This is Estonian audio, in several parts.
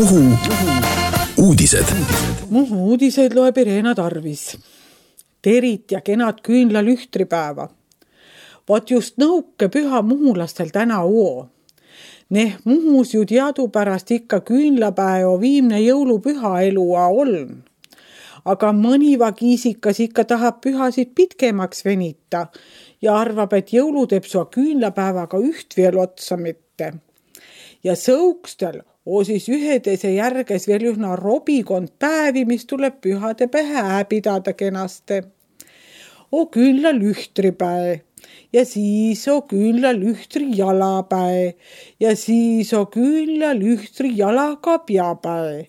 Muhu uudised. Muhu uudiseid loeb Irena Tarvis. Terit ja kenad küünlalühtripäeva. Vaat just nõuke püha muhulastel täna oo. Neh Muhus ju teadupärast ikka küünlapäeva viimne jõulupüha elua oln. Aga mõniva kiisikas ikka tahab pühasid pitkemaks venita ja arvab, et jõulu teeb sua küünlapäevaga üht veel otsa mitte. Ja sõukstel siis ühedese järges veel ühna robikond päevi, mis tuleb pühade pähe pidada kenaste. Küünlalühtripäe ja siis küünlalühtri jalapäe ja siis küünlalühtri jalakapjapäe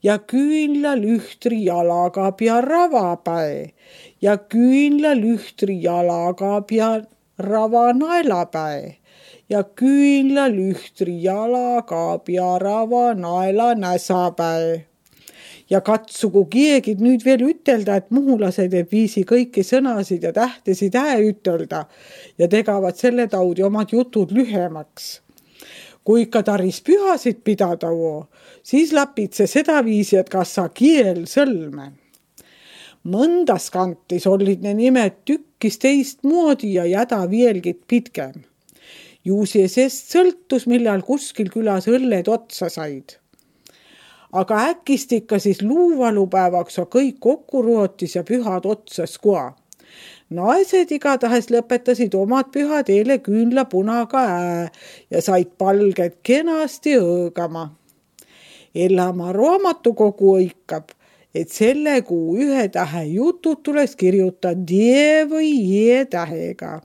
ja küünlalühtri jalakapja ravapäe ja küünlalühtri jalakapja rava naelapäe ja küünlalühtri jalakapja rava naela näsapäe. Ja katsugu kiegid nüüd veel ütelda, et muhulased ei viisi kõiki sõnasid ja tähtesid ütelda ja tegavad selle taudi omad jutud lühemaks. Kui ikka taris pühasid pidada siis lapid see seda viisi, et kas sa kiel sõlme. Mõndas kantis olid ne nimed tükkis teist moodi ja jäda vielgit pitkem. Juusi sest sõltus, millal kuskil külas õlled otsa said. Aga äkist ikka siis luuvalupäevaks kõik kokku rootis ja pühad otsas koa. Naised igatahes lõpetasid omad pühad eile küünlapunaga ja said palged kenasti õõgama. Ellamaa raamatukogu õikab, et selle kuu 1 tähe jutud tuleks kirjutada D või J tähega.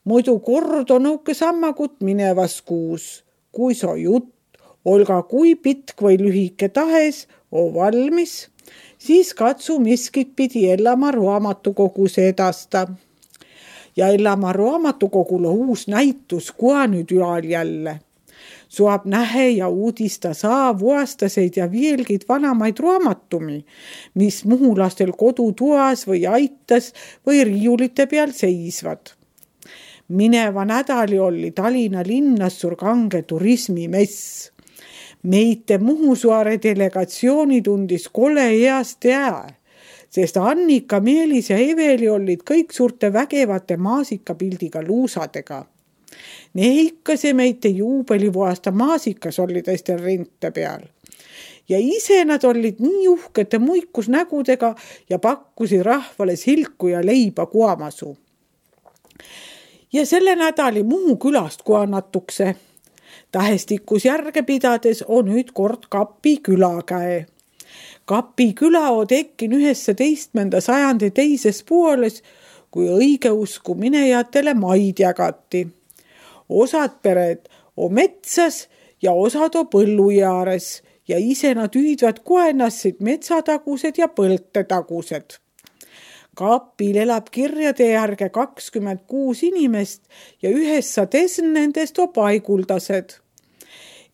Muidu kord on õuke sammakut minevas kuus, kui so jutt olga kui pitk või lühike tahes valmis, siis katsu miskit pidi Ellamaa raamatukogus edasta. Ja Ellamaa raamatukogul on uus näitus koa nüüd ülal jälle. Saab nähe ja uudista vuastaseid ja vielgid vanamaid raamatumi, mis muhulastel kodutoas või aitas või riiulite peal seisvad. Mineva nädali oli Tallinna linnas kange turismimess. Meite Muhusaare delegatsiooni tundis kole heast sest Annika, Meelis ja Eveli olid kõik suurte vägevate maasikapildiga luusadega. Neikase meite juubelivuasta maasikas oli teistel rente peal. Ja ise nad olid nii uhkete muikusnägudega ja pakkusid rahvale silku ja leiba kuamasu. Ja selle nädali Muhu külast koa natukse. Tähestikus järge pidades on nüüd kord Kapi küla käe. Kapi küla on tekkin 19. sajandi teises pooles, kui õigeusku minejatele maid jagati. Osad pered on metsas ja osad on põllu jaares ja ise nad ühidvad koenassid metsatagused ja põltetagused. Kapil elab kirjade järge 26 inimest ja 9 nendest on paiguldased.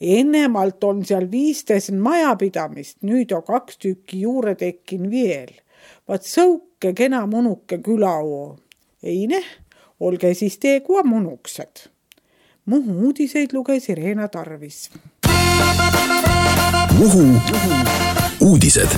Ennemalt on seal 15 majapidamist, nüüd on 2 tükki juurde tekkin veel. Vaat sõuke kena munuke küla oo. Ei olge siis tee kua munuksed. Muhu uudiseid luges Irena Tarvis. Muhu uudised.